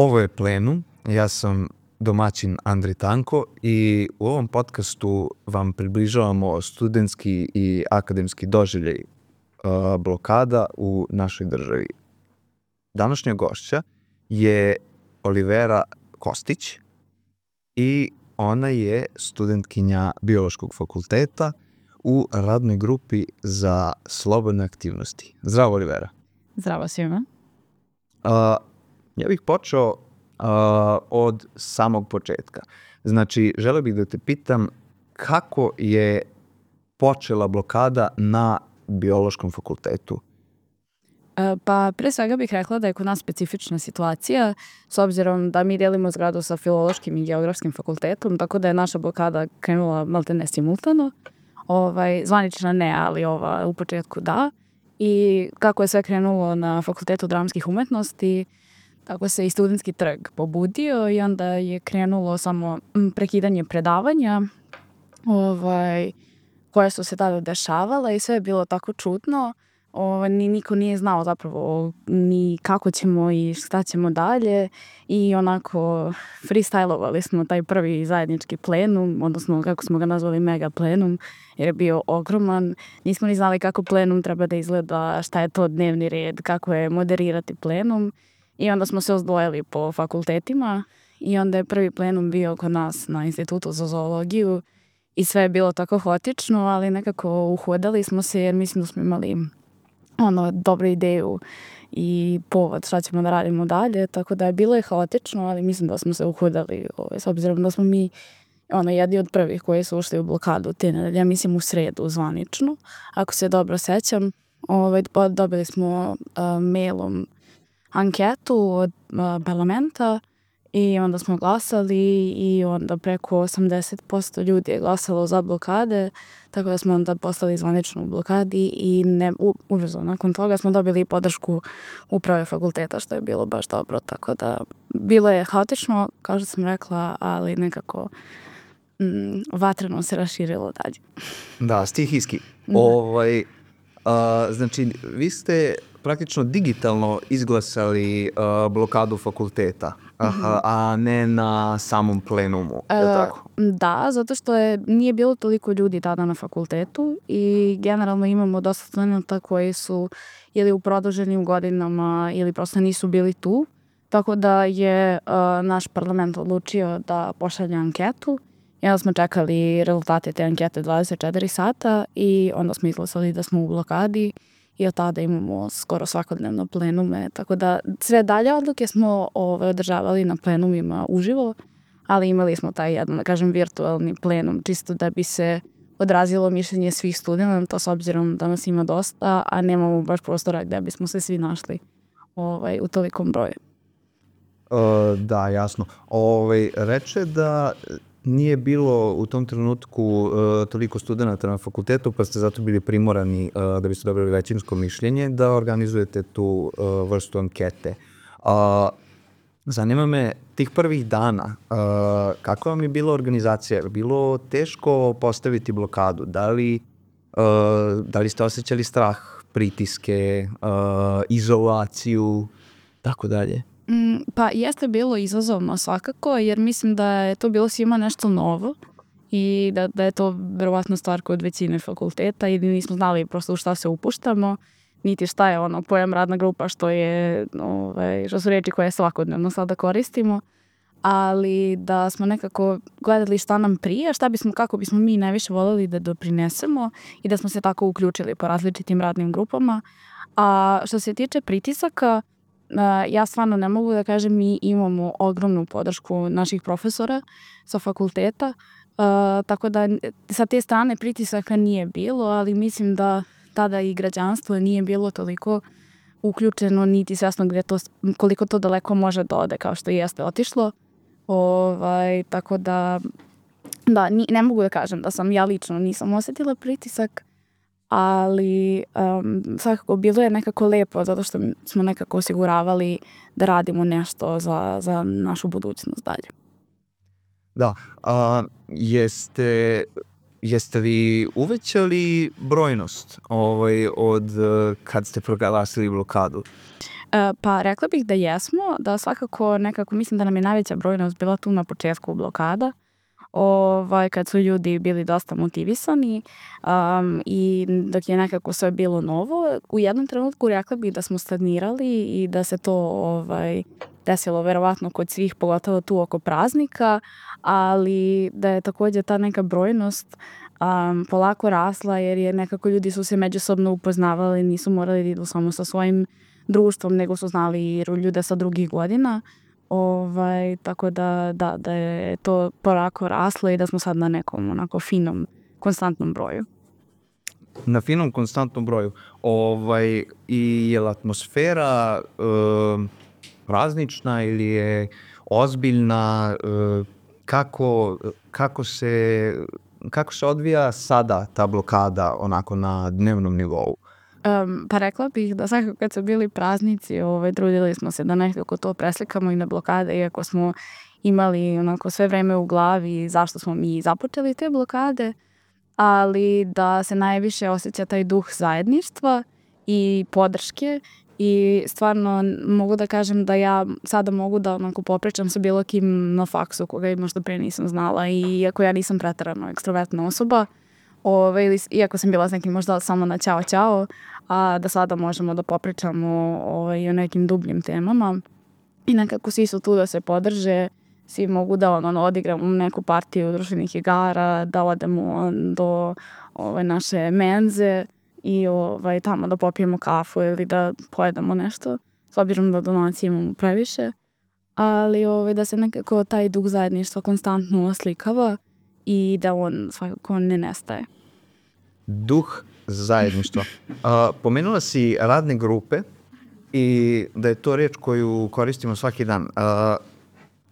Ovo je Plenum, ja sam domaćin Andri Tanko i u ovom podcastu vam približavamo studentski i akademski doživljaj blokada u našoj državi. Današnja gošća je Olivera Kostić i ona je studentkinja Biološkog fakulteta u radnoj grupi za slobodne aktivnosti. Zdravo, Olivera. Zdravo svima. Ja bih počeo od samog početka. Znači, želeo bih da te pitam kako je počela blokada na Biološkom fakultetu? Pa pre svega bih rekla da je kod nas specifična situacija, s obzirom da mi delimo zgradu sa Filološkim i Geografskim fakultetom, tako da je naša blokada krenula maltene simultano. Zvanična ne, ali ova u početku da. I kako je sve krenulo na Fakultetu dramskih umetnosti, tako se i studentski trg pobudio i onda je krenulo samo prekidanje predavanja koje su se tada dešavala i sve je bilo tako čudno. Niko nije znao zapravo ni kako ćemo i šta ćemo dalje i onako freestylovali smo taj prvi zajednički plenum, odnosno kako smo ga nazvali mega plenum, jer je bio ogroman. Nismo ni znali kako plenum treba da izgleda, šta je to dnevni red, kako je moderirati plenum i onda smo se ozdvojili po fakultetima i onda je prvi plenum bio kod nas na Institutu za zoologiju i sve je bilo tako haotično, ali nekako uhodali smo se jer mislim da smo imali dobru ideju i povod šta ćemo da radimo dalje, tako da je bilo je haotično, ali mislim da smo se uhodali s obzirom da smo mi jedni od prvih koji su ušli u blokadu te nedelje, ja mislim u sredu zvanično, ako se dobro sećam. Dobili smo mailom anketu od parlamenta i onda smo glasali i onda preko 80% ljudi je glasalo za blokade, tako da smo onda postali zvanično u blokadi i ubrzo nakon toga smo dobili podršku uprave fakulteta, što je bilo baš dobro, tako da bilo je haotično, kao što sam rekla, ali nekako vatreno se raširilo dalje. Da, stihijski. Znači, vi ste praktično digitalno izglasali blokadu fakulteta, a ne na samom plenumu, je li tako? Da, zato što nije bilo toliko ljudi tada na fakultetu i generalno imamo dosta studenta koji su ili u produženim godinama ili prosto nisu bili tu, tako da je naš parlament odlučio da pošalje anketu i onda smo čekali rezultate te ankete 24 sata i onda smo izglasali da smo u blokadi i od tada imamo skoro svakodnevno plenume, tako da sve dalje odluke smo održavali na plenumima uživo, ali imali smo taj jedan, da kažem, virtualni plenum, čisto da bi se odrazilo mišljenje svih studenta, s obzirom da nas ima dosta, a nemamo baš prostora gde bismo se svi našli u tolikom broju. Da, jasno. Reče da nije bilo u tom trenutku toliko studenta na fakultetu, pa ste zato bili primorani da biste dobili većinsko mišljenje da organizujete tu vrstu ankete. Zanima me tih prvih dana, kako vam je bila organizacija? Je bilo teško postaviti blokadu? Da li ste osjećali strah, pritiske, izolaciju, tako dalje? Pa jeste bilo izazovno svakako, jer mislim da je to bilo svima nešto novo i da je to verovatno stvar kod većine fakulteta i nismo znali prosto u šta se upuštamo, niti šta je pojam radna grupa, što su reči koje svakodnevno sada koristimo, ali da smo nekako gledali šta nam prije, kako bismo mi najviše voljeli da doprinesemo i da smo se tako uključili po različitim radnim grupama. A što se tiče pritisaka, ja stvarno ne mogu da kažem, mi imamo ogromnu podršku naših profesora sa fakulteta, tako da sa te strane pritisaka nije bilo, ali mislim da tada i građanstvo nije bilo toliko uključeno, niti svesno koliko to daleko može da ode, kao što jeste otišlo. Tako da ne mogu da kažem da sam ja lično nisam osetila pritisak, ali svakako bilo je nekako lepo zato što smo nekako osiguravali da radimo nešto za našu budućnost dalje. Da, jeste li uvećali brojnost od kad ste proglasili blokadu? Pa rekla bih da jesmo, da svakako nekako mislim da nam je najveća brojnost bila tu na početku blokada. Kad su ljudi bili dosta motivisani i dok je nekako sve bilo novo, u jednom trenutku rekla bih da smo stagnirali i da se to desilo verovatno kod svih, pogotovo tu oko praznika, ali da je također ta neka brojnost polako rasla jer je nekako ljudi su se međusobno upoznavali, nisu morali da idu samo sa svojim društvom, nego su znali i ljude sa drugih godina. Tako da je to polako raslo i da smo sad na nekom onako finom, konstantnom broju. Na finom, konstantnom broju. I je li atmosfera praznična ili je ozbiljna? Kako se odvija sada ta blokada onako na dnevnom nivou? Pa rekla bih da svakako kad su bili praznici, trudili smo se da nekako to preslikamo i na blokade, iako smo imali onako sve vreme u glavi zašto smo mi započeli te blokade, ali da se najviše osjeća taj duh zajedništva i podrške i stvarno mogu da kažem da ja sada mogu da onako popričam sa bilo kim na faksu koga možda pre nisam znala i iako ja nisam preterano ekstrovertna osoba, iako sam bila s nekim možda samo na ćao, a da sada možemo da popričamo o nekim dubljim temama i nekako svi su tu da se podrže, svi mogu da odigramo neku partiju društvenih igara, da odemo do naše menze i tamo da popijemo kafu ili da pojedemo nešto, s obzirom da donacije imamo previše, ali da se nekako taj duh zajedništva konstantno oslikava i da on svakako ne nestaje. Duh zajedništva. Pomenula si radne grupe i da je to reč koju koristimo svaki dan.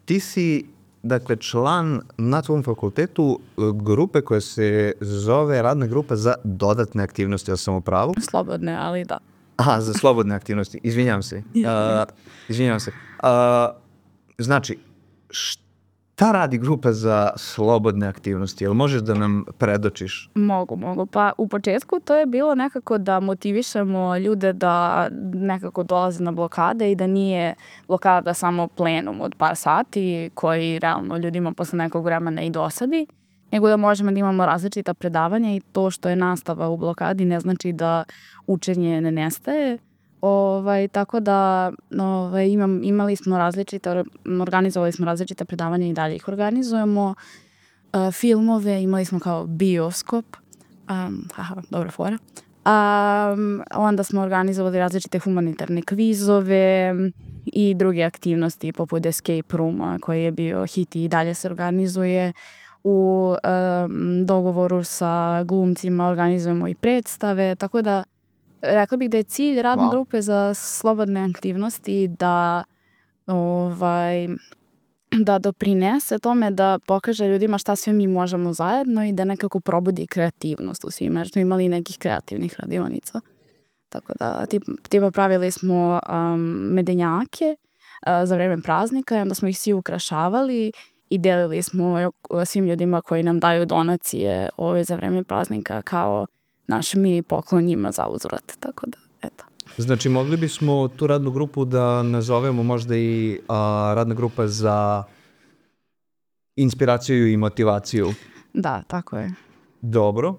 Ti si, dakle, član na tvom fakultetu grupe koja se zove radna grupa za dodatne aktivnosti, ja sam u pravu? Slobodne, ali da. Aha, za slobodne aktivnosti. Izvinjavam se. Znači, šta radi grupa za slobodne aktivnosti? Jel možeš da nam predočiš? Mogu. Pa u početku to je bilo nekako da motivišemo ljude da nekako dolaze na blokade i da nije blokada samo plenum od par sati koji realno ljudima posle nekog vremena i dosadi, nego da možemo da imamo različita predavanja i to što je nastava u blokadi ne znači da učenje ne nestaje. Tako da organizovali smo različita predavanja i dalje ih organizujemo. Filmove imali smo kao bioskop. Dobra fora. Onda smo organizovali različite humanitarne kvizove i druge aktivnosti poput escape rooma koji je bio hit i dalje se organizuje. U dogovoru sa glumcima organizujemo i predstave, tako da rekla bih da je cilj radne grupe za slobodne aktivnosti da doprinese tome da pokaže ljudima šta sve mi možemo zajedno i da nekako probudi kreativnost u svima, jer smo imali nekih kreativnih radionica. Tako da tipa pravili smo medenjake za vreme praznika i onda smo ih svi ukrašavali i delili smo svim ljudima koji nam daju donacije za vreme praznika kao naš mini poklon njima za uzvrat, tako da, eto. Znači, mogli bismo tu radnu grupu da nazovemo možda i radna grupa za inspiraciju i motivaciju. Da, tako je. Dobro.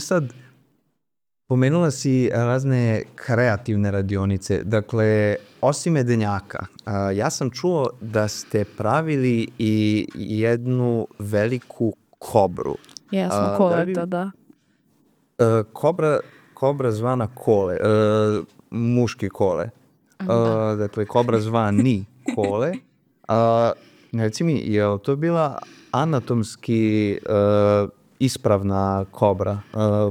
Sad, pomenula si razne kreativne radionice. Dakle, osim medenjaka, ja sam čuo da ste pravili i jednu veliku kobru. Jesmo, koleta, da. Kobra zvana Kole, muški Kole. Dakle, kobra zvani Kole. Reci mi, je li to bila anatomski ispravna kobra,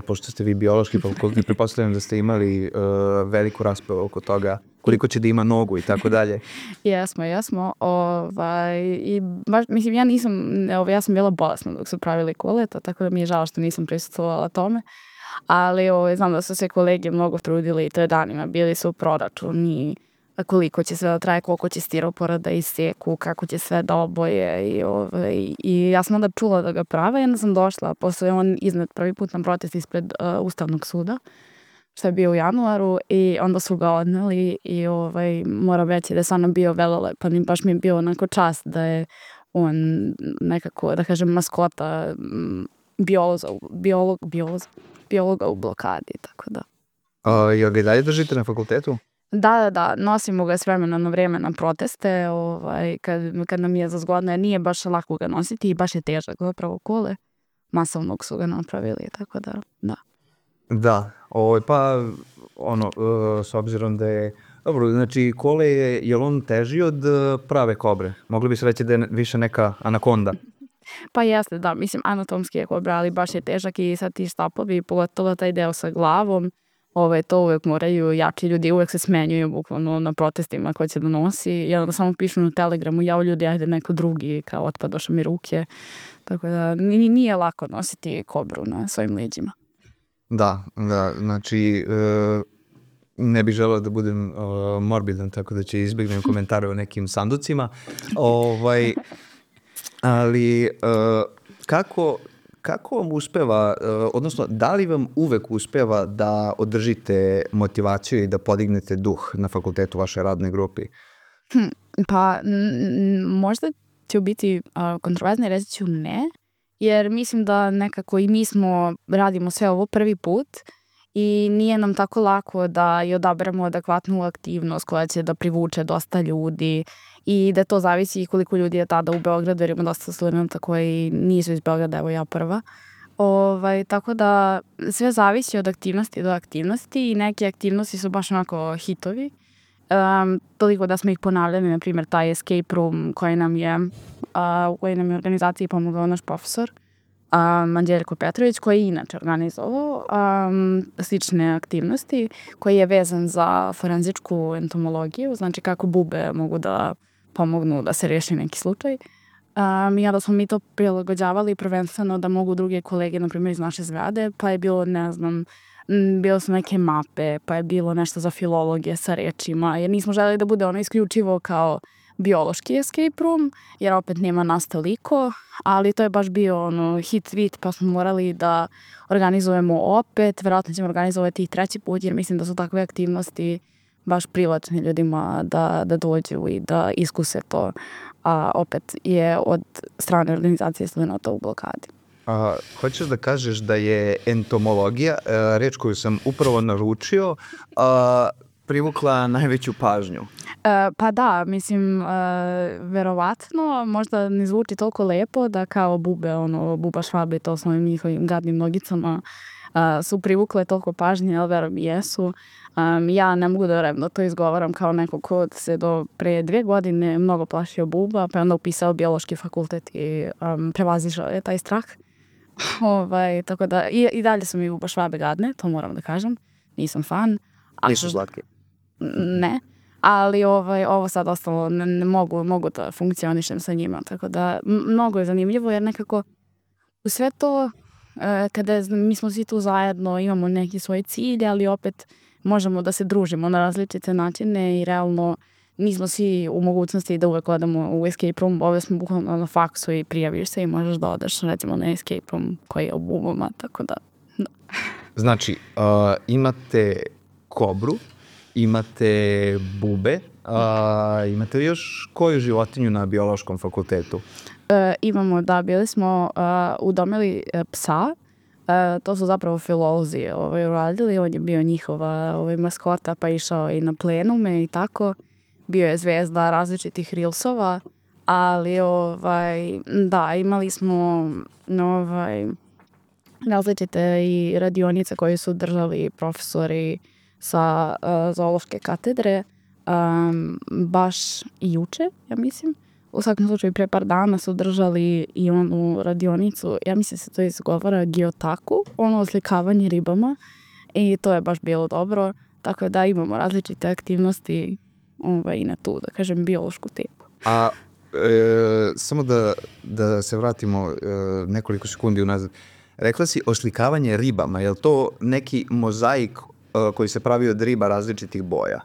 pošto ste vi biološki fakultet, pretpostavljam da ste imali veliku raspravu oko toga koliko će da ima nogu i tako dalje. Jesmo. I baš, mislim, ja sam bila bolesna dok su pravili koleta, tako da mi je žao što nisam prisustvovala tome. Ali znam da su se kolege mnogo trudili i to je danima. Bili su u proračuni koliko će sve da traje, koliko će stiropora da iseku, kako će sve da oboje. I ja sam onda čula da ga prave i onda sam došla. Posle on iznet prvi put na protest ispred Ustavnog suda. što je bio u januaru i onda su ga odneli i moram reći da je stvarno bio velelepan i baš mi je bio onako čast da je on nekako, da kažem, maskota biologa u blokadi, tako da. Jel ga i dalje držite na fakultetu? Da, nosimo ga s vremena na vreme na proteste, kad nam je za zgodno, jer nije baš lako ga nositi i baš je težak zapravo kole. Masovnog su ga napravili, tako da. Da, pa s obzirom da je, dobro, znači kole je li on teži od prave kobre? Mogli bi se reći da je više neka anakonda? Pa jeste, da, mislim, anatomski je kobra, ali baš je težak i sad ti štapovi, pogotovo taj deo sa glavom, to uvek moraju jači ljudi, uvek se smenjuju bukvalno na protestima ko će da nosi, i onda samo pišu na Telegramu, jao ljudi, ajde neko drugi, kao otpadoše mi ruke, tako da nije lako nositi kobru na svojim leđima. Da, znači ne bih želeo da budem morbidan, tako da će izbjegnem komentare o nekim sanducima, ali kako vam uspeva, odnosno da li vam uvek uspeva da održite motivaciju i da podignete duh na fakultetu vaše radne grupi? Pa možda će biti kontroverzno, reći ću ne, jer mislim da nekako i mi radimo sve ovo prvi put i nije nam tako lako da i odaberemo adekvatnu aktivnost koja će da privuče dosta ljudi i da to zavisi i koliko ljudi je tada u Beogradu, jer ima dosta studenta koji nisu iz Beograda, evo ja prva. Tako da sve zavisi od aktivnosti do aktivnosti i neke aktivnosti su baš onako hitovi. Toliko da smo ih ponavljali, na primjer taj escape room koji nam je u kojoj nam je organizaciji pomogao naš profesor Anđeljko Petrović, koji je inače organizovao slične aktivnosti, koji je vezan za forenzičku entomologiju, znači kako bube mogu da pomognu da se riješi neki slučaj. I onda smo mi to prilagođavali prvenstveno da mogu druge kolege, na primjer iz naše zgrade, pa je bilo, ne znam, bilo su neke mape, pa je bilo nešto za filologije sa rečima, jer nismo želeli da bude ono isključivo kao biološki escape room, jer opet nema nas toliko, ali to je baš bio hit tweet, pa smo morali da organizujemo opet, verovatno ćemo organizovati i treći put, jer mislim da su takve aktivnosti baš privlačne ljudima da dođu i da iskuse to, a opet je od strane organizacije studenta u blokadi. Hoćeš da kažeš da je entomologija, reč koju sam upravo naručio, privukla najveću pažnju? Pa da, mislim, verovatno, možda ne zvuči toliko lepo da kao bube, buba švabe, to s ovim njihovim gadnim nogicama, su privukle toliko pažnje, ali verujem i jesu. Ja ne mogu da verujem da to izgovaram kao neko ko se do pre 2 godine mnogo plašio buba, pa je onda upisao biološki fakultet i prevazišao je taj strah. Tako da, i dalje su mi buba švabe gadne, to moram da kažem, nisam fan. Nisu slatki? Ne, ali ovo sad ostalo, ne mogu da funkcionišem sa njima, tako da mnogo je zanimljivo, jer nekako u sve to, kada mi smo svi tu zajedno, imamo neki svoj cilj, ali opet možemo da se družimo na različite načine i realno nismo svi u mogućnosti da uvek odemo u escape room, ove smo bukvalno na faksu i prijaviš se i možeš da odeš recimo na escape room koji je u bubama, tako da. Znači, imate kobru, imate bube, imate li još koju životinju na biološkom fakultetu? Imamo, da, bili smo udomili psa, to su zapravo filolozi uradili, on je bio njihova maskota, pa išao i na plenume i tako, bio je zvezda različitih rilsova, ali da, imali smo različite i radionice koje su držali profesori sa zoološke katedre, baš i juče, ja mislim. U svakom slučaju, pre par dana su držali i onu radionicu, ja mislim se to izgovara Giotaku, oslikavanje ribama, i to je baš bilo dobro, tako da imamo različite aktivnosti i na tu, da kažem, biološku temu. A samo da se vratimo nekoliko sekundi unazad. Rekla si oslikavanje ribama, je li to neki mozaik koji se pravi od riba različitih boja?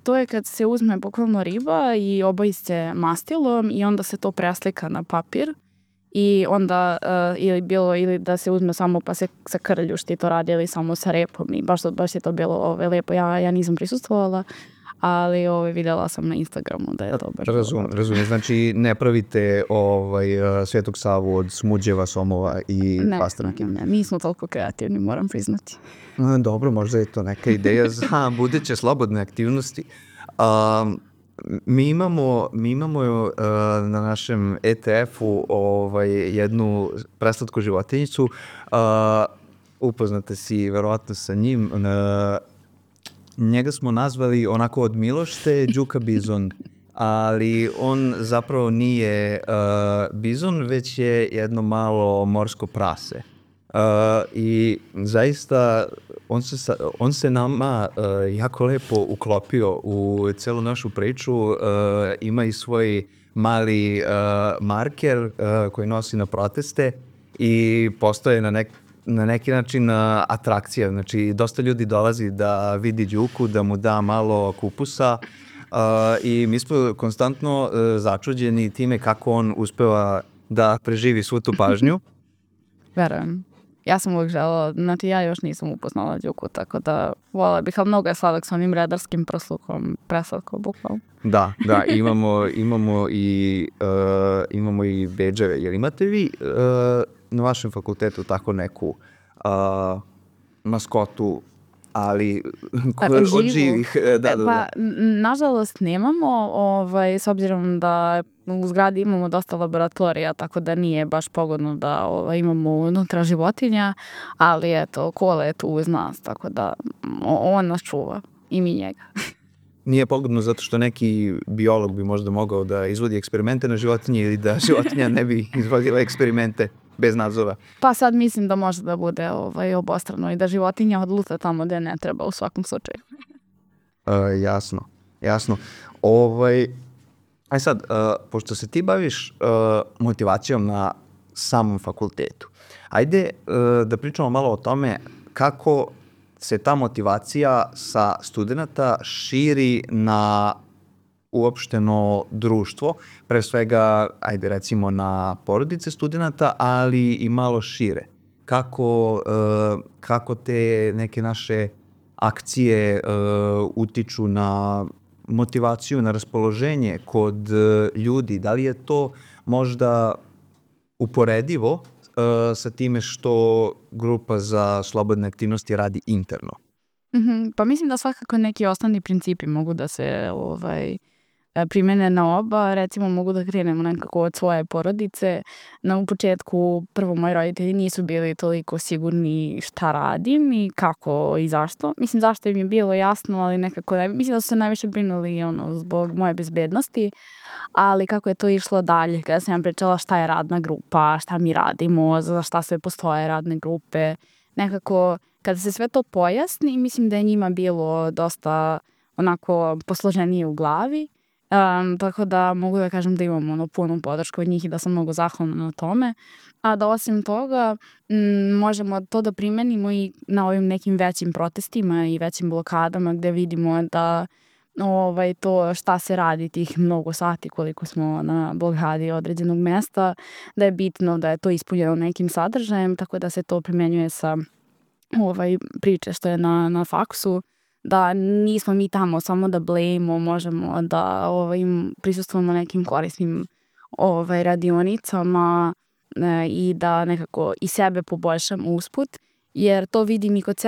To je kad se uzme bukvalno riba i oboji se mastilom i onda se to preslika na papir i onda ili da se uzme samo pa se sa krljušti to radi ili samo sa repom i baš je to bilo lepo. Ja nisam prisustvovala, ali vidjela sam na Instagramu da je to baš Razumijem. Znači ne pravite Svetog Savu od smuđeva, somova i pastrnke. Ne, nismo toliko kreativni, moram priznati. Dobro, možda je to neka ideja za buduće slobodne aktivnosti. Mi imamo na našem ETF-u jednu preslatku životinjicu. Upoznate si verovatno sa njim. Njega smo nazvali onako od milošte Đuka bizon, ali on zapravo nije bizon, već je jedno malo morsko prase. I zaista on se nama jako lepo uklopio u celu našu priču. Ima i svoj mali marker koji nosi na proteste i postoje na neki način atrakcija. Znači, dosta ljudi dolazi da vidi Đuku, da mu da malo kupusa i mi smo konstantno začuđeni time kako on uspeva da preživi svu tu pažnju. Verujem. Ja sam uvijek želela, znači ja još nisam upoznala Đuku, tako da vola bih, ali mnogo je sladak s onim redarskim prslukom, preslatkom bukvalno. Da, imamo i bedževe. Jel imate vi na vašem fakultetu tako neku maskotu, ali od živih? Pa, nažalost nemamo, s obzirom da u zgradi imamo dosta laboratorija, tako da nije baš pogodno da imamo unutra životinja, ali eto, Kola je tu uz nas, tako da on nas čuva i mi njega. Nije pogodno zato što neki biolog bi možda mogao da izvodi eksperimente na životinje ili da životinja ne bi izvodila eksperimente bez nadzora. Pa sad mislim da može da bude obostrano i da životinja odluta tamo gde ne treba u svakom slučaju. Jasno. Aj sad, pošto se ti baviš motivacijom na samom fakultetu, ajde da pričamo malo o tome kako se ta motivacija sa studenta širi na uopšteno društvo, pre svega, ajde recimo na porodice studenta, ali i malo šire. Kako te neke naše akcije utiču na motivaciju, na raspoloženje kod ljudi? Da li je to možda uporedivo sa time što grupa za slobodne aktivnosti radi interno? Pa mislim da svakako neki osnovni principi mogu da se primene na oba. Recimo mogu da krenemo nekako od svoje porodice. U početku prvo moji roditelji nisu bili toliko sigurni šta radim i kako i zašto. Mislim zašto im je bilo jasno, ali nekako mislim da su se najviše brinuli zbog moje bezbednosti. Ali kako je to išlo dalje, kada sam ja pričala šta je radna grupa, šta mi radimo, za šta sve postoje radne grupe, nekako kada se sve to pojasni, mislim da je njima bilo dosta onako posloženije u glavi. Tako da mogu da kažem da imam punu podršku od njih i da sam mnogo zahvalna na tome. A da osim toga možemo to da primenimo i na ovim nekim većim protestima i većim blokadama gde vidimo da to šta se radi tih mnogo sati koliko smo na blokadi određenog mesta, da je bitno da je to ispunjeno nekim sadržajem, tako da se to primenjuje sa priče što je na faksu, da nismo mi tamo samo da blejimo, možemo da prisustvujemo nekim korisnim radionicama i da nekako i sebe poboljšamo usput, jer to vidim i kod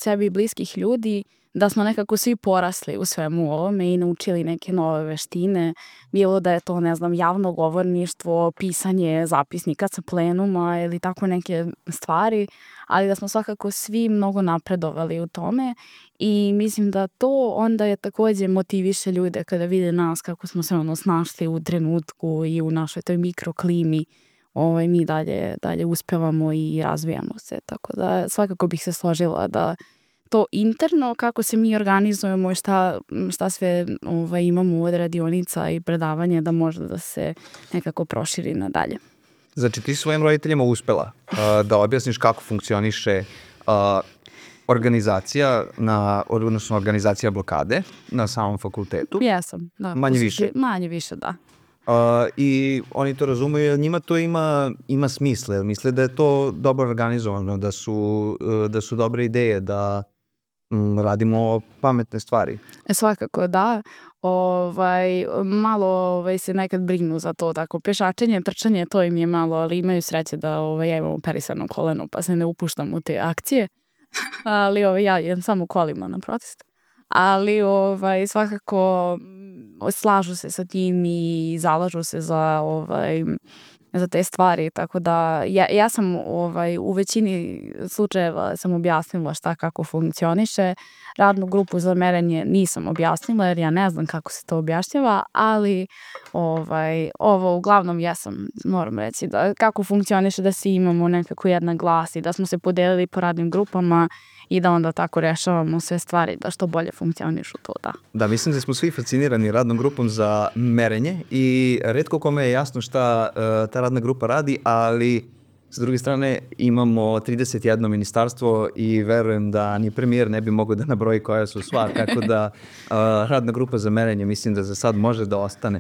sebe i bliskih ljudi, da smo nekako svi porasli u svemu ovome i naučili neke nove veštine, bilo da je to, javno govorništvo, pisanje zapisnika sa plenuma ili tako neke stvari, ali da smo svakako svi mnogo napredovali u tome i mislim da to onda je takođe motiviše ljude kada vide nas kako smo se snašli u trenutku i u našoj toj mikroklimi, mi dalje uspevamo i razvijamo se, tako da svakako bih se složila da to interno, kako se mi organizujemo i šta sve imamo od radionica i predavanja, da može da se nekako proširi nadalje. Znači ti svojim roditeljima uspela da objasniš kako funkcioniše organizacija, odnosno organizacija blokade na samom fakultetu? Jesam, da. Manje više? Manje više, da. I oni to razumeju, jer njima to ima smisla, jer misle da je to dobro organizovano, da su dobre ideje, da radimo pametne stvari. Svakako da. Malo se nekad brinu za to, tako pešačenje, trčanje, to im je malo, ali imaju sreće da ja imam operisano koleno, pa se ne upuštam u te akcije. Ali ja idem samo kolima na protest. Ali svakako slažu se sa tim i zalažu se za te stvari, tako da ja sam u većini slučajeva sam objasnila šta kako funkcioniše. Radnu grupu za merenje nisam objasnila jer ja ne znam kako se to objašnjava, ali ovo uglavnom moram reći da kako funkcioniše, da svi imamo nekako jedan glas i da smo se podelili po radnim grupama i da onda tako rešavamo sve stvari da što bolje funkcionišu to, da. Da, mislim da smo svi fascinirani radnom grupom za merenje i retko kome je jasno šta ta radna grupa radi, ali s druge strane imamo 31 ministarstvo i verujem da ni premijer ne bi mogao da nabroji koja su sva, tako da radna grupa za merenje mislim da za sad može da ostane.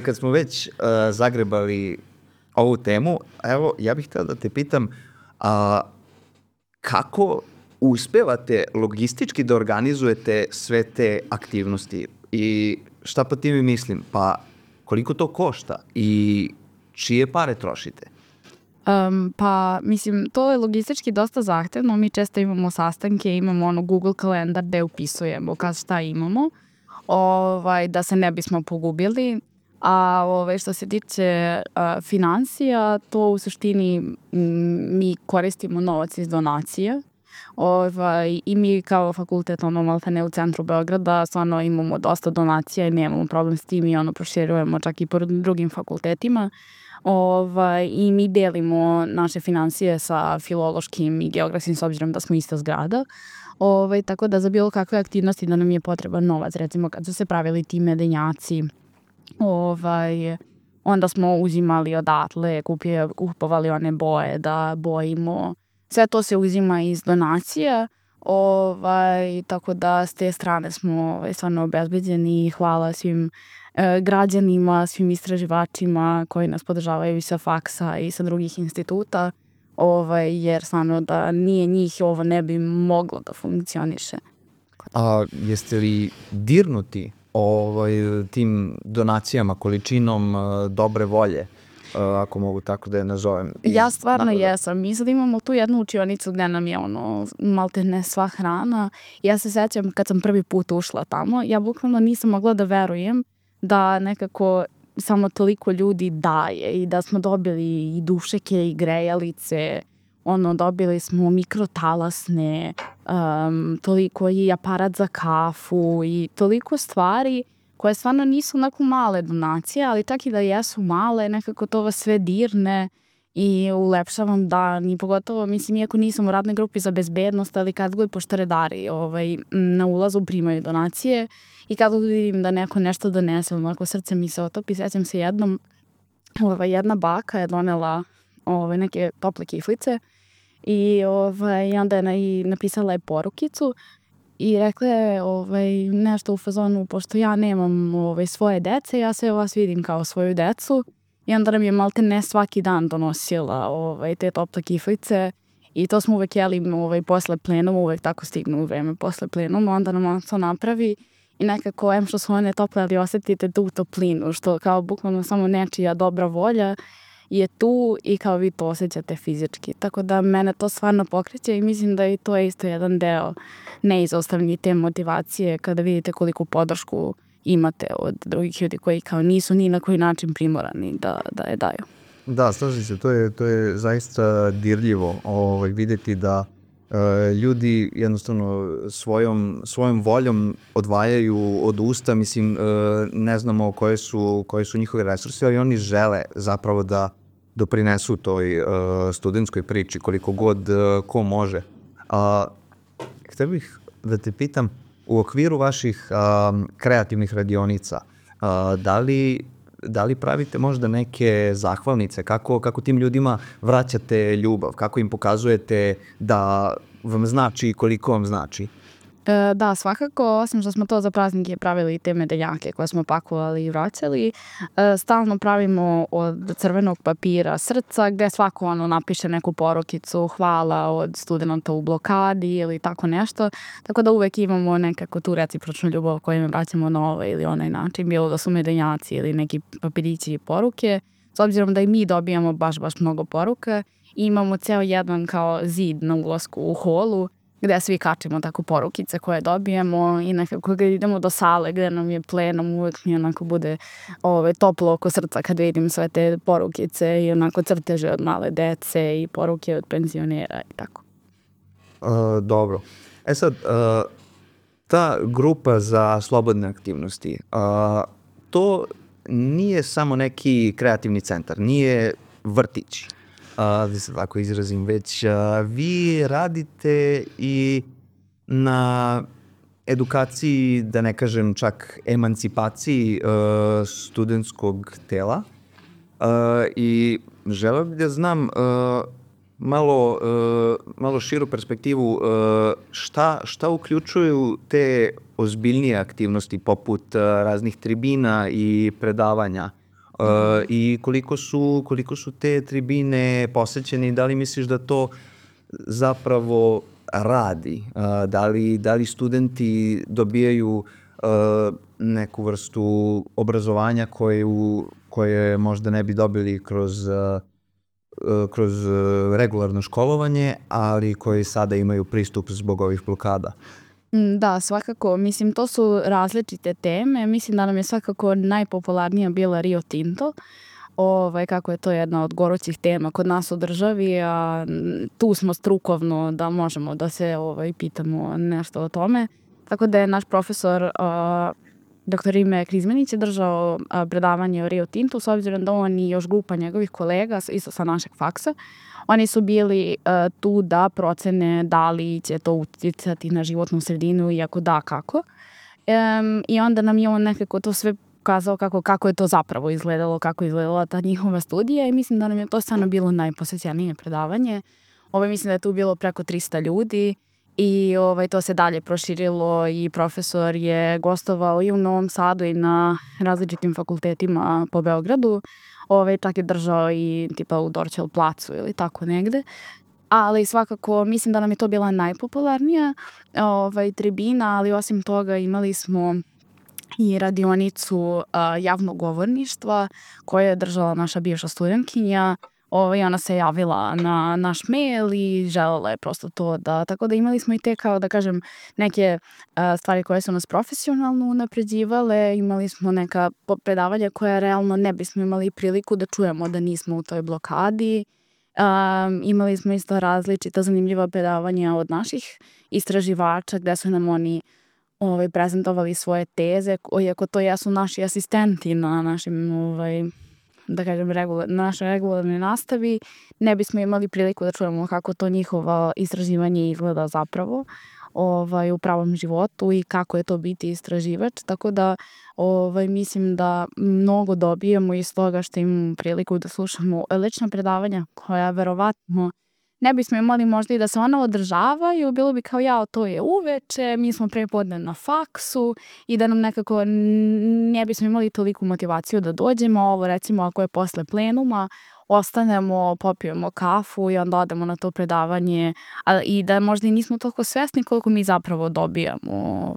Kad smo već zagrebali ovu temu, evo, ja bih htio da te pitam, kako uspevate logistički da organizujete sve te aktivnosti i šta pa time mislim? Pa koliko to košta i čije pare trošite? Pa, mislim, to je logistički dosta zahtevno. Mi često imamo sastanke, imamo Google kalendar gde upisujemo šta imamo, da se ne bismo pogubili. A što se tiče finansija, to u suštini mi koristimo novac iz donacije. I mi kao fakultet, maltene u centru Beograda, stvarno imamo dosta donacija i nemamo problem s tim i proširujemo čak i po drugim fakultetima. I mi delimo naše finansije sa filološkim i geografskim s obzirom da smo ista zgrada. Tako da za bilo kakve aktivnosti da nam je potreban novac, recimo kad su se pravili ti medenjaci, onda smo uzimali odatle, kupovali one boje da bojimo. Sve to se uzima iz donacija, tako da s te strane smo stvarno obezbeđeni i hvala svim građanima, svim istraživačima koji nas podržavaju i sa faksa i sa drugih instituta, jer stvarno da nije njih ovo ne bi moglo da funkcioniše. A jeste li dirnuti tim donacijama, količinom dobre volje, ako mogu tako da je nazovem? Ja stvarno jesam. Mi sad imamo tu jednu učionicu gde nam je maltene sva hrana. Ja se sećam kad sam prvi put ušla tamo, ja bukvalno nisam mogla da verujem da nekako samo toliko ljudi daje i da smo dobili i dušeke i grejalice, dobili smo mikrotalasne, toliko i aparat za kafu i toliko stvari koje stvarno nisu onako male donacije, ali čak i da jesu male, nekako to vas sve dirne i ulepšavam dan i pogotovo, mislim, iako nisam u radnoj grupi za bezbednost, ali kad god pošto redari na ulazu primaju donacije i kad vidim da neko nešto donese, onako srce mi se otopi. Sećam se jednom, jedna baka je donela neke tople kiflice i onda je napisala je porukicu i rekla je nešto u fazonu, pošto ja nemam svoje dece, ja sve vas vidim kao svoju decu. I onda nam je maltene svaki dan donosila te tople kiflice i to smo uvek jeli posle plenuma, uvek tako stignu u vreme posle plenuma, onda nam to napravi i nekako, što su one tople, ali osetite tu toplinu, što kao bukvalno samo nečija dobra volja je tu i kao vi to osjećate fizički. Tako da mene to stvarno pokreće i mislim da je to isto jedan deo neizostavni te motivacije kada vidite koliku podršku imate od drugih ljudi koji kao nisu ni na koji način primorani da je daju. Da, slažem se, to je zaista dirljivo videti da ljudi jednostavno svojom voljom odvajaju od usta, mislim, ne znamo koje su njihove resurse, ali oni žele zapravo da doprinesu toj studentskoj priči koliko god ko može. Htio bih da te pitam, u okviru vaših kreativnih radionica, da li pravite možda neke zahvalnice, kako tim ljudima vraćate ljubav, kako im pokazujete da vam znači i koliko vam znači? Da, svakako, osim što smo to za praznike pravili i te medeljake koje smo pakovali i vraćali, stalno pravimo od crvenog papira srca gde svako napiše neku porukicu, hvala od studenta u blokadi ili tako nešto. Tako da uvek imamo nekako tu recipročnu ljubav koju im vraćamo na ovaj ili onaj način, bilo da su medeljaci ili neki papirići i poruke. S obzirom da i mi dobijamo baš mnogo poruka, imamo ceo jedan kao zid na ulasku u holu gde svi kačimo tako porukice koje dobijemo i nekako kad idemo do sale gde nam je plenum, uvek mi onako bude toplo oko srca kad vidim sve te porukice i onako crteže od male dece i poruke od penzionera i tako. Dobro. Sad, ta grupa za slobodne aktivnosti, to nije samo neki kreativni centar, nije vrtić, da se tako izrazim, već vi radite i na edukaciji, da ne kažem čak emancipaciji studentskog tela i želeo bih da znam malo širu perspektivu šta uključuju te ozbiljnije aktivnosti poput raznih tribina i predavanja i koliko su te tribine posećene i da li misliš da to zapravo radi? Da li studenti dobijaju neku vrstu obrazovanja koje možda ne bi dobili kroz regularno školovanje, ali koji sada imaju pristup zbog ovih blokada? Da, svakako. Mislim, to su različite teme. Mislim da nam je svakako najpopularnija bila Rio Tinto. Kako je to jedna od gorućih tema kod nas u državi, a tu smo strukovno da možemo da se pitamo nešto o tome. Tako da je naš profesor Dr. Ime Krizmanić je držao predavanje o Rio Tintu, s obzirom da on i još grupa njegovih kolega, isto sa našeg faksa, oni su bili tu da procene da li će to uticati na životnu sredinu i ako da, kako. I onda nam je on nekako to sve pokazao kako je to zapravo izgledalo, kako je izgledala ta njihova studija i mislim da nam je to stvarno bilo najposećenije predavanje. Mislim da je tu bilo preko 300 ljudi. I to se dalje proširilo i profesor je gostovao i u Novom Sadu i na različitim fakultetima po Beogradu. Čak je držao i tipa u Dorćol placu ili tako negde. Ali svakako mislim da nam je to bila najpopularnija tribina, ali osim toga imali smo i radionicu javnog govorništva koje je držala naša bivša studentkinja. Ona se javila na naš mail i želela je prosto to da, tako da imali smo i te kao da kažem neke stvari koje su nas profesionalno unapređivale, imali smo neka predavanja koja realno ne bismo imali priliku da čujemo da nismo u toj blokadi. Imali smo isto različita zanimljiva predavanja od naših istraživača gde su nam oni prezentovali svoje teze, iako to jesu naši asistenti na našim da kažem, našoj regularnoj nastavi, ne bismo imali priliku da čujemo kako to njihovo istraživanje izgleda zapravo u pravom životu i kako je to biti istraživač. Tako da mislim da mnogo dobijemo iz toga što imamo priliku da slušamo lična predavanja koja verovatno ne bismo imali možda i da se ona održavaju, bilo bi kao to je uveče, mi smo prepodne na faksu i da nam nekako ne bismo imali toliku motivaciju da dođemo. Ovo recimo ako je posle plenuma, ostanemo, popijemo kafu i onda odemo na to predavanje i da možda i nismo toliko svesni koliko mi zapravo dobijamo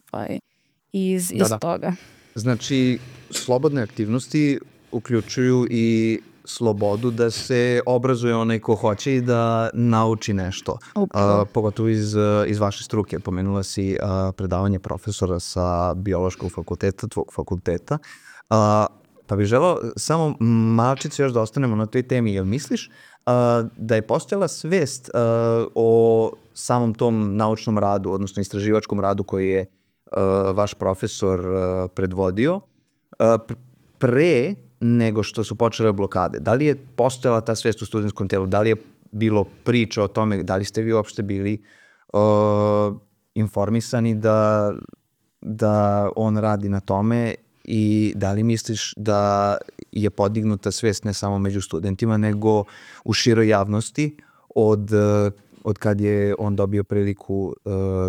iz toga. Znači, slobodne aktivnosti uključuju i slobodu da se obrazuje onaj ko hoće i da nauči nešto. Pogotovo iz vaše struke. Pomenula si predavanje profesora sa biološkog fakulteta, tvog fakulteta. Pa bih želao samo malčice još da ostanemo na toj temi. Jel misliš da je postojala svest o samom tom naučnom radu, odnosno istraživačkom radu koji je vaš profesor predvodio pre nego što su počele blokade? Da li je postojala ta svest u studentskom telu? Da li je bilo priča o tome? Da li ste vi uopšte bili informisani da on radi na tome i da li misliš da je podignuta svest ne samo među studentima, nego u široj javnosti od od kad je on dobio priliku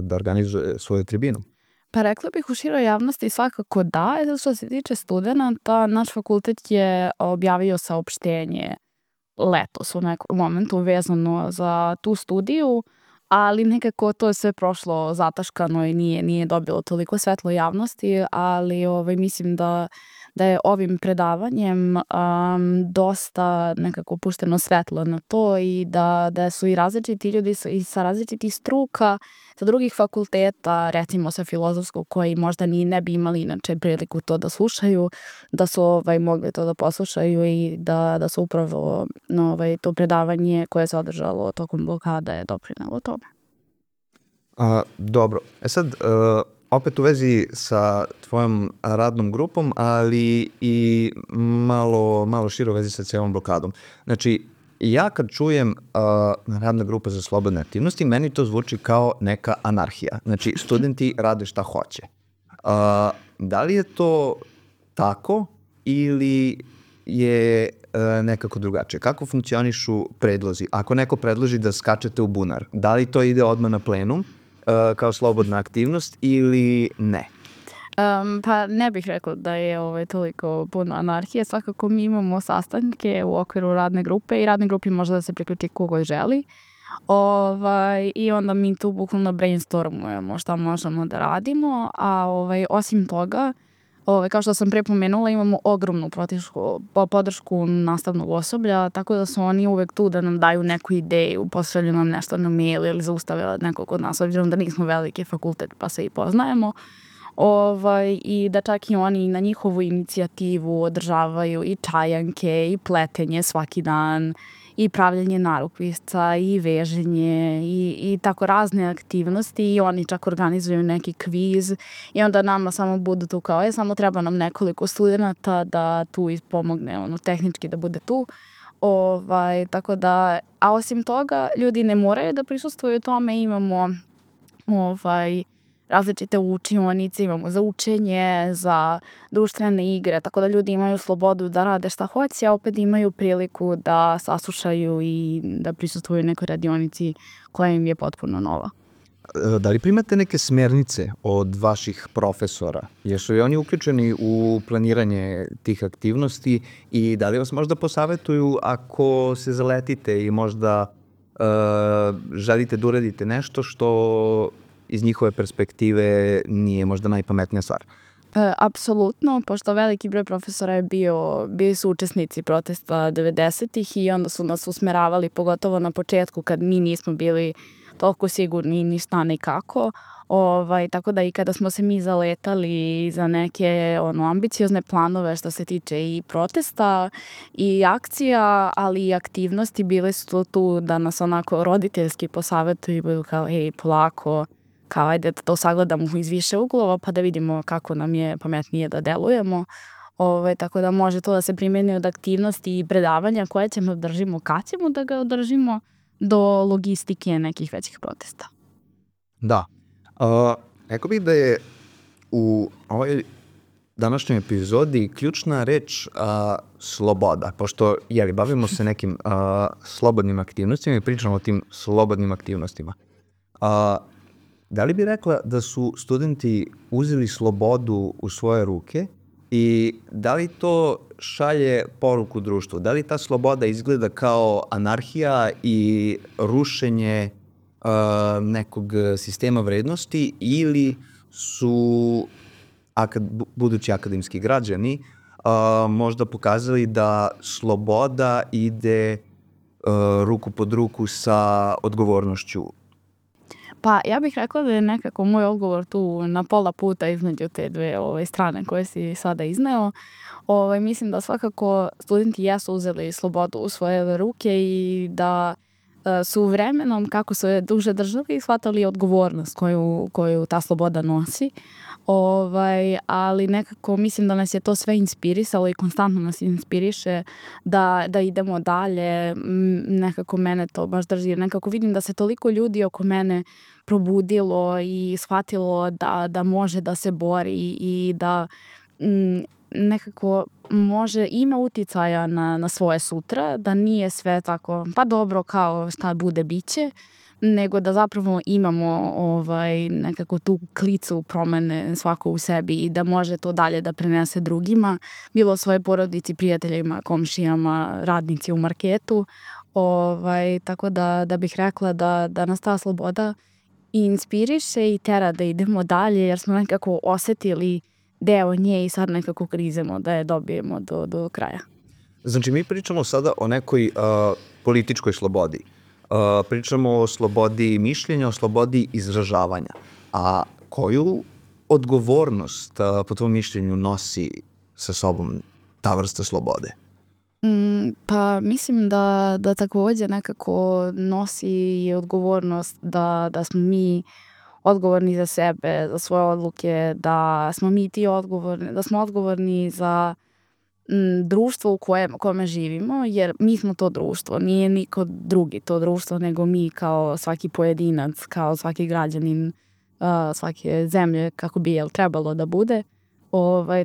da organizuje svoju tribinu? Pa rekla bih u široj javnosti svakako da. Što se tiče studenta, naš fakultet je objavio saopštenje letos u nekom momentu vezano za tu studiju, ali nekako to je sve prošlo zataškano i nije dobilo toliko svetlo javnosti, ali mislim da je ovim predavanjem dosta nekako pušteno svetlo na to i da su i različiti ljudi i sa različitih struka, sa drugih fakulteta, recimo sa filozofskog, koji možda ni ne bi imali inače priliku to da slušaju, da su mogli to da poslušaju i da su upravo to predavanje koje se održalo tokom blokada je doprinelo tome. Dobro. Sad, opet u vezi sa tvojom radnom grupom, ali i malo šire u vezi sa cijelom blokadom. Znači, ja kad čujem radna grupa za slobodne aktivnosti, meni to zvuči kao neka anarhija. Znači, studenti rade šta hoće. Da li je to tako ili je nekako drugačije? Kako funkcionišu predlozi? Ako neko predloži da skačete u bunar, da li to ide odmah na plenum kao slobodna aktivnost ili ne? Pa ne bih rekla da je toliko puno anarhije. Svakako mi imamo sastanke u okviru radne grupe i radne grupi može da se priključi kogo želi. I onda mi tu bukvalno brainstormujemo šta možemo da radimo, a osim toga, kao što sam prepomenula, imamo ogromnu podršku nastavnog osoblja, tako da su oni uvek tu da nam daju neku ideju, pošalju nam nešto na mail ili zaustave nekog od nas, obzirom da nismo veliki fakultet pa se i poznajemo. I da čak i oni na njihovu inicijativu održavaju i čajanke i pletenje svaki dan i pravljanje narukvica i veženje i tako razne aktivnosti i oni čak organizuju neki kviz i onda nama samo budu tu kao samo treba nam nekoliko studenta da tu pomogne tehnički da bude tu. Tako da, a osim toga ljudi ne moraju da prisustvuju tome, imamo različite učionice, imamo za učenje, za društvene igre, tako da ljudi imaju slobodu da rade šta hoće, a opet imaju priliku da saslušaju i da prisustvuju nekoj radionici koja im je potpuno nova. Da li primate neke smernice od vaših profesora? Jesu i oni uključeni u planiranje tih aktivnosti i da li vas možda posavetuju ako se zaletite i možda želite da uradite nešto što iz njihove perspektive nije možda najpametnija stvar? Apsolutno, pošto veliki broj profesora je bili su učesnici protesta 90-ih i onda su nas usmeravali, pogotovo na početku kad mi nismo bili toliko sigurni ni šta ni kako. Tako da i kada smo se mi zaletali za neke ambiciozne planove što se tiče i protesta i akcija, ali i aktivnosti, bile su tu da nas onako roditeljski posavetuju i budu kao polako, kao ajde da to sagledamo iz više uglova pa da vidimo kako nam je pametnije da delujemo. Tako da može to da se primeni od aktivnosti i predavanja koje ćemo održimo, kad ćemo da ga održimo, do logistike nekih većih protesta. Da. Rekao bih da je u ovoj današnjoj epizodi ključna reč sloboda, pošto bavimo se nekim slobodnim aktivnostima i pričamo o tim slobodnim aktivnostima. Da li bi rekla da su studenti uzeli slobodu u svoje ruke i da li to šalje poruku društvu? Da li ta sloboda izgleda kao anarhija i rušenje nekog sistema vrednosti ili su budući akademski građani možda pokazali da sloboda ide ruku pod ruku sa odgovornošću? Pa ja bih rekla da je nekako moj odgovor tu na pola puta između te dve strane koje si sada izneo. Mislim da svakako studenti jesu uzeli slobodu u svoje ruke i da su vremenom, kako su je duže držali, shvatali odgovornost koju ta sloboda nosi. Ali nekako mislim da nas je to sve inspirisalo i konstantno nas inspiriše da idemo dalje. Nekako mene to baš drži. Nekako vidim da se toliko ljudi oko mene probudilo i shvatilo da može da se bori i da nekako ima uticaja na svoje sutra, da nije sve tako, pa dobro, kao šta bude biće, nego da zapravo imamo nekako tu klicu promene svako u sebi i da može to dalje da prenese drugima, bilo svoje porodici, prijateljima, komšijama, radnici u marketu. Tako da bih rekla da nas ta sloboda i inspiriše i tera da idemo dalje, jer smo nekako osetili deo nje i sad nekako grizemo da je dobijemo do kraja. Znači, mi pričamo sada o nekoj političkoj slobodi. Pričamo o slobodi mišljenja, o slobodi izražavanja. A koju odgovornost po tvom mišljenju nosi sa sobom ta vrsta slobode? Pa mislim da takođe nekako nosi i odgovornost da smo mi odgovorni za sebe, za svoje odluke, da smo mi ti odgovorni, da smo odgovorni za društvo u kome živimo, jer mi smo to društvo, nije niko drugi to društvo, nego mi kao svaki pojedinac, kao svaki građanin svake zemlje, kako bi trebalo da bude.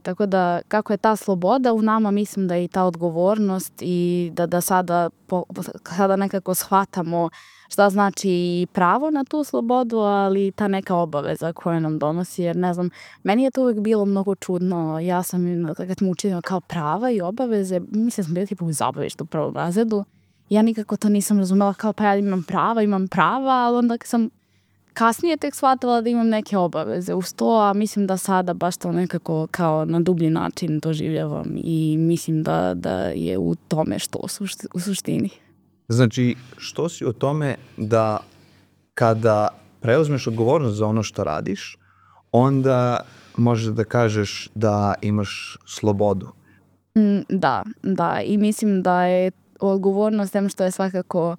Tako da kako je ta sloboda u nama, mislim da je i ta odgovornost i da sada nekako shvatamo šta znači i pravo na tu slobodu, ali ta neka obaveza koja nam donosi, jer ne znam, meni je to uvijek bilo mnogo čudno. Ja sam, kad smo učili kao prava i obaveze, mislim da sam bila tipa u zabavištu u prvom razredu. Ja nikako to nisam razumela kao pa ja imam prava, ali onda sam kasnije tek shvatila da imam neke obaveze uz to, a mislim da sada baš to nekako kao na dublji način doživljavam i mislim da je u tome što u suštini. Znači, što si o tome da kada preuzmeš odgovornost za ono što radiš, onda možeš da kažeš da imaš slobodu? Da, i mislim da je odgovornost tem što je svakako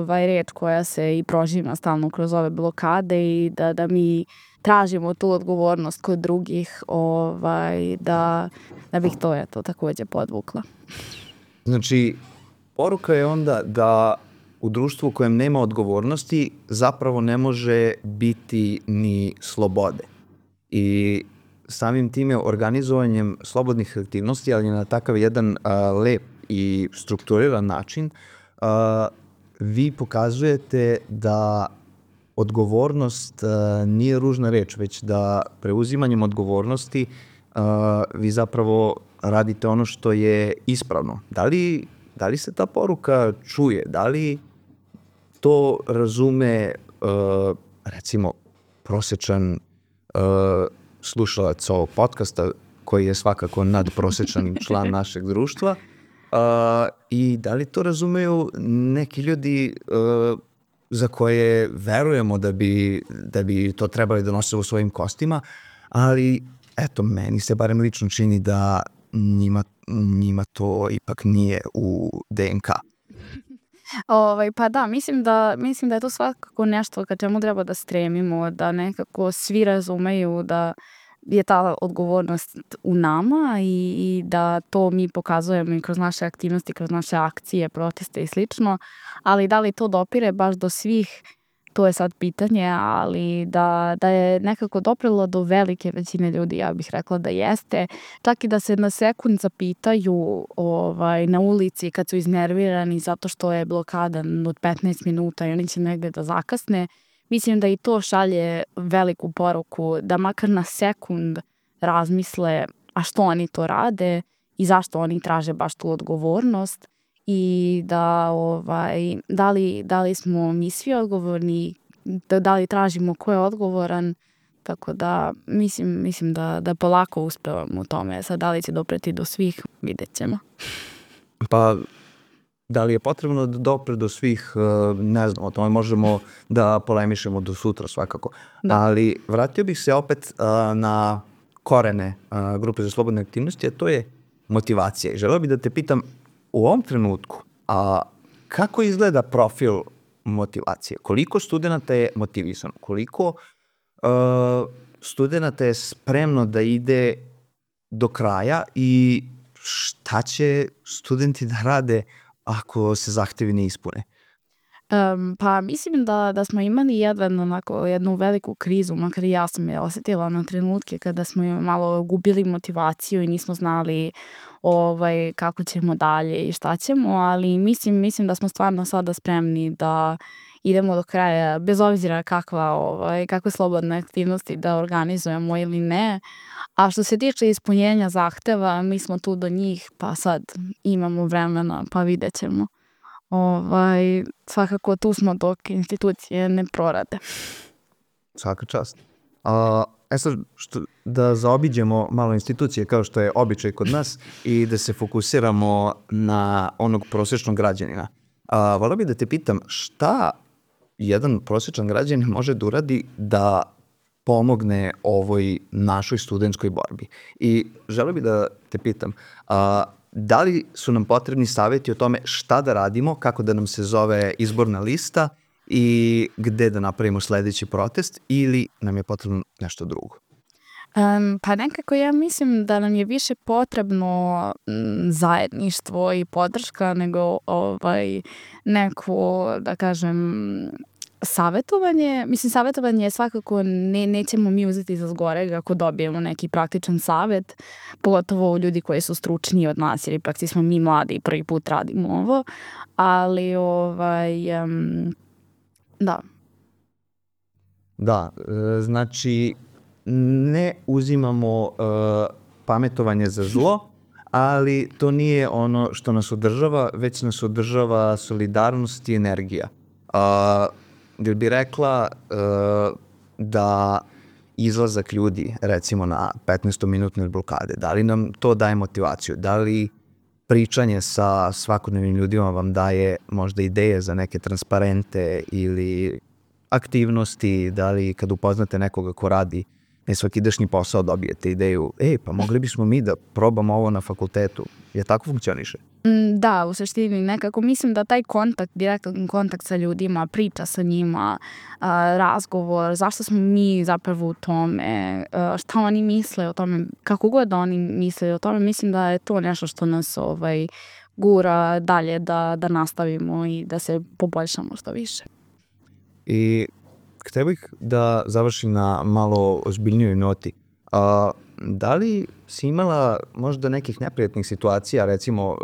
reč koja se i prožima stalno kroz ove blokade i da mi tražimo tu odgovornost kod drugih, da bih to takođe podvukla. Znači, poruka je onda da u društvu u kojem nema odgovornosti zapravo ne može biti ni slobode. I samim time organizovanjem slobodnih aktivnosti, ali na takav jedan lep i strukturiran način, vi pokazujete da odgovornost nije ružna reč, već da preuzimanjem odgovornosti vi zapravo radite ono što je ispravno. Da li se ta poruka čuje? Da li to razume, recimo, prosečan slušalac ovog podcasta, koji je svakako nadprosečan član našeg društva, i da li to razumeju neki ljudi za koje verujemo da bi to trebali da nose u svojim kostima, ali eto, meni se barem lično čini da njima to ipak nije u DNK. Pa da, mislim da je to svakako nešto ka čemu treba da stremimo, da nekako svi razumeju da je ta odgovornost u nama i da to mi pokazujemo i kroz naše aktivnosti, kroz naše akcije, proteste i slično, ali da li to dopire baš do svih, to je sad pitanje, ali da je nekako doprilo do velike većine ljudi, ja bih rekla da jeste, čak i da se na sekund zapitaju na ulici kad su iznervirani zato što je blokada od 15 minuta i oni će negde da zakasne. Mislim da i to šalje veliku poruku, da makar na sekund razmisle a što oni to rade i zašto oni traže baš tu odgovornost i da li smo mi svi odgovorni, da li tražimo ko je odgovoran, tako da mislim da polako uspevamo u tome. Sad da li će dopreti do svih, vidjet ćemo. Pa da li je potrebno da dopre do svih, ne znam, o tome možemo da polemišemo do sutra svakako. Da. Ali vratio bih se opet na korene grupe za slobodne aktivnosti, a to je motivacija. I želeo bih da te pitam u ovom trenutku, kako izgleda profil motivacije? Koliko studenta je motivisano? Koliko studenta je spremno da ide do kraja i šta će studenti da rade ako se zahtevi ne ispune? Pa mislim da smo imali jednu veliku krizu, makar i ja sam je osetila na trenutke kada smo malo gubili motivaciju i nismo znali kako ćemo dalje i šta ćemo, ali mislim da smo stvarno sada spremni da idemo do kraja, bez obzira kakve slobodne aktivnosti da organizujemo ili ne. A što se tiče ispunjenja zahteva, mi smo tu do njih, pa sad imamo vremena, pa vidjet ćemo. Svakako tu smo dok institucije ne prorade. Svaka čast. Sad, da zaobiđemo malo institucije kao što je običaj kod nas i da se fokusiramo na onog prosječnog građanina. Volio bih da te pitam šta jedan prosječan građanin može da uradi da pomogne ovoj našoj studentskoj borbi. I želeo bih da te pitam, da li su nam potrebni savjeti o tome šta da radimo, kako da nam se zove izborna lista i gde da napravimo sledeći protest ili nam je potrebno nešto drugo? Pa nekako ja mislim da nam je više potrebno zajedništvo i podrška nego neko, da kažem, savjetovanje. Mislim, savjetovanje svakako nećemo mi uzeti za zgoreg ako dobijemo neki praktičan savjet, pogotovo ljudi koji su stručniji od nas, jer ipak smo mi mladi i prvi put radimo ovo, ali da. Da, znači ne uzimamo pametovanje za zlo, ali to nije ono što nas održava, već nas održava solidarnost i energija. Jel bi rekla da izlazak ljudi, recimo na 15-minutne blokade, da li nam to daje motivaciju? Da li pričanje sa svakodnevnim ljudima vam daje možda ideje za neke transparente ili aktivnosti? Da li kad upoznate nekoga ko radi nesvakidašnji posao dobijete ideju, pa mogli bismo mi da probamo ovo na fakultetu? Je tako funkcioniše? Da, u suštini nekako mislim da taj kontakt, direktan kontakt sa ljudima, priča sa njima, razgovor, zašto smo mi zapravo u tome, šta oni misle o tome, kako god oni misle o tome, mislim da je to nešto što nas gura dalje da nastavimo i da se poboljšamo što više. I htio bih da završim na malo ozbiljnijoj noti. Da li si imala možda nekih neprijatnih situacija, recimo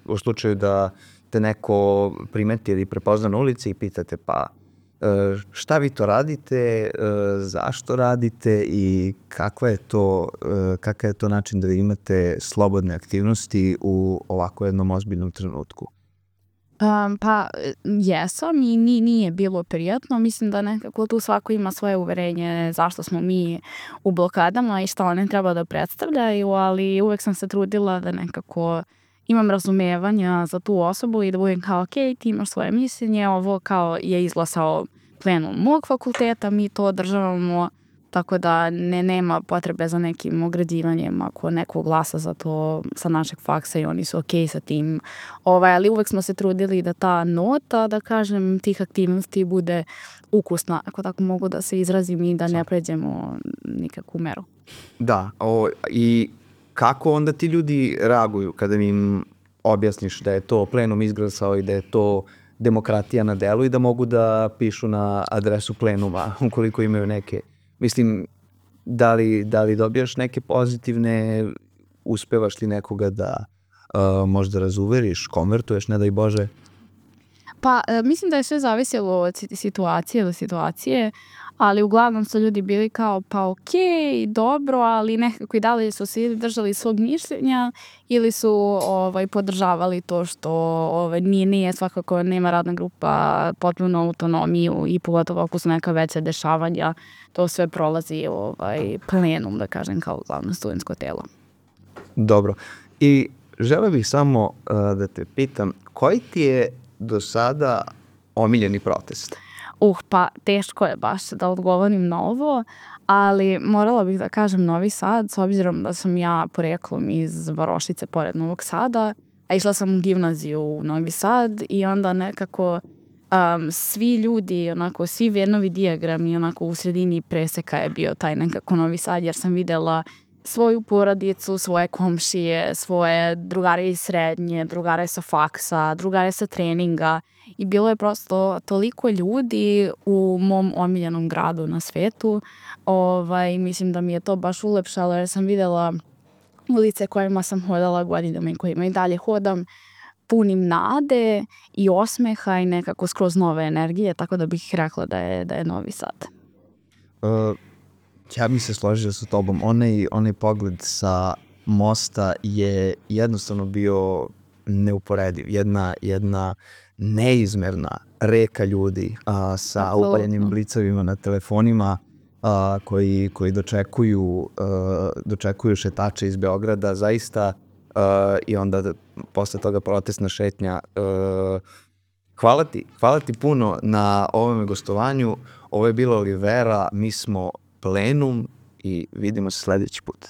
u slučaju da te neko primeti ili prepozna na ulici i pitate šta vi to radite, zašto radite i kakav je to način da vi imate slobodne aktivnosti u ovako jednom ozbiljnom trenutku? Pa jesam i nije bilo prijatno. Mislim da nekako tu svako ima svoje uverenje zašto smo mi u blokadama i šta one treba da predstavljaju, ali uvek sam se trudila da nekako imam razumevanja za tu osobu i da budem kao ok, ti imaš svoje mišljenje, ovo kao je izglasao plenum mog fakulteta, mi to održavamo, tako da nema potrebe za nekim ograđivanjem ako neko glasa za to sa našeg faksa i oni su ok sa tim. Ali uvek smo se trudili da ta nota, da kažem, tih aktivnosti bude ukusna, ako tako mogu da se izrazim i da ne pređemo nikakvu meru. Da, i kako onda ti ljudi reaguju kada im objasniš da je to plenum izglasao i da je to demokratija na delu i da mogu da pišu na adresu plenuma ukoliko imaju neke. Mislim, da li dobijaš neke pozitivne, uspevaš li nekoga da možda razuveriš, konvertuješ, ne daj Bože? Pa, mislim da je sve zavisilo od situacije do situacije, ali uglavnom su ljudi bili kao pa okej, dobro, ali nekako i dalje su se držali svog mišljenja ili su podržavali to što nije svakako, nema radna grupa potpuno autonomiju i pogotovo ako su neka veća dešavanja, to sve prolazi plenum, da kažem, kao glavno studentsko telo. Dobro. I želeo bih samo da te pitam, koji ti je do sada omiljeni protest? Pa teško je baš da odgovorim na ovo, ali morala bih da kažem Novi Sad, s obzirom da sam ja poreklom iz Varošice pored Novog Sada, a išla sam u gimnaziju u Novi Sad i onda nekako svi ljudi, svi Venovi dijagrami, u sredini preseka je bio taj nekako Novi Sad, jer sam videla svoju porodicu, svoje komšije, svoje drugare iz srednje, drugare sa faksa, drugare sa treninga i bilo je prosto toliko ljudi u mom omiljenom gradu na svetu. Mislim da mi je to baš ulepšalo jer sam videla ulice kojima sam hodala godinama i kojima i dalje hodam. punim nade i osmeha i nekako skroz nove energije, tako da bih rekla da je Novi Sad. Ja bih se složio sa tobom. Onaj pogled sa mosta je jednostavno bio neuporediv. Jedna neizmerna reka ljudi sa upaljenim blicevima na telefonima koji dočekuju šetače iz Beograda, zaista, i onda posle toga protestna šetnja. Hvala ti puno na ovome gostovanju. Ovo je bila Olivera, mi smo Plenum i vidimo se sledeći put.